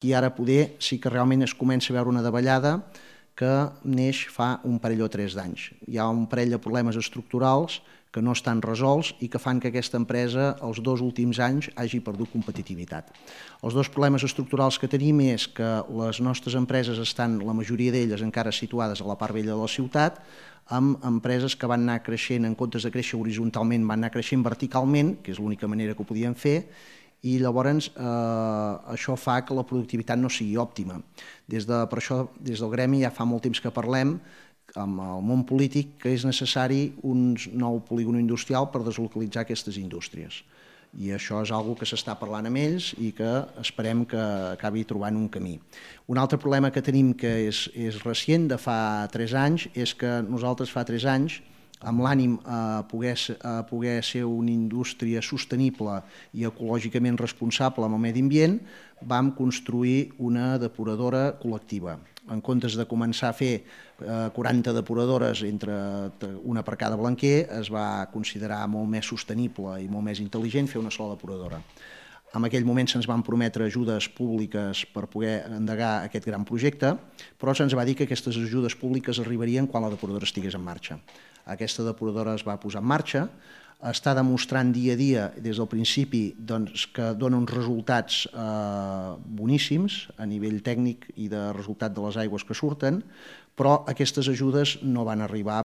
I ara poder sí que realment es comença a veure una davallada que neix fa un parell o 3 d'anys. Hi ha un parell de problemes estructurals que no estan resolts i que fan que aquesta empresa els 2 últims anys hagi perdut competitivitat. Els 2 problemes estructurals que tenim és que les nostres empreses estan, la majoria d'elles encara situades a la part vella de la ciutat, amb empreses que van anar creixent, en comptes de créixer horitzontalment, van anar creixent verticalment, que és l'única manera que ho podien fer, i llavors això fa que la productivitat no sigui òptima. Per això, des del gremi ja fa molt temps que parlem amb el món polític que és necessari un nou polígon industrial per deslocalitzar aquestes indústries. I això és una cosa que s'està parlant amb ells i que esperem que acabi trobant un camí. Un altre problema que tenim, que és recent, de fa 3 anys, és que nosaltres fa 3 anys, amb l'ànim a poder ser una indústria sostenible i ecològicament responsable amb el medi ambient, vam construir una depuradora col·lectiva. En comptes de començar a fer 40 depuradores, entre una per cada blanquer, es va considerar molt més sostenible i molt més intel·ligent fer una sola depuradora. En aquell moment se'ns van prometre ajudes públiques per poder endegar aquest gran projecte, però se'ns va dir que aquestes ajudes públiques arribarien quan la depuradora estigués en marxa. Aquesta depuradora es va posar en marxa, està demostrant dia a dia, des del principi, que dona uns resultats boníssims a nivell tècnic i de resultat de les aigües que surten, però aquestes ajudes no van arribar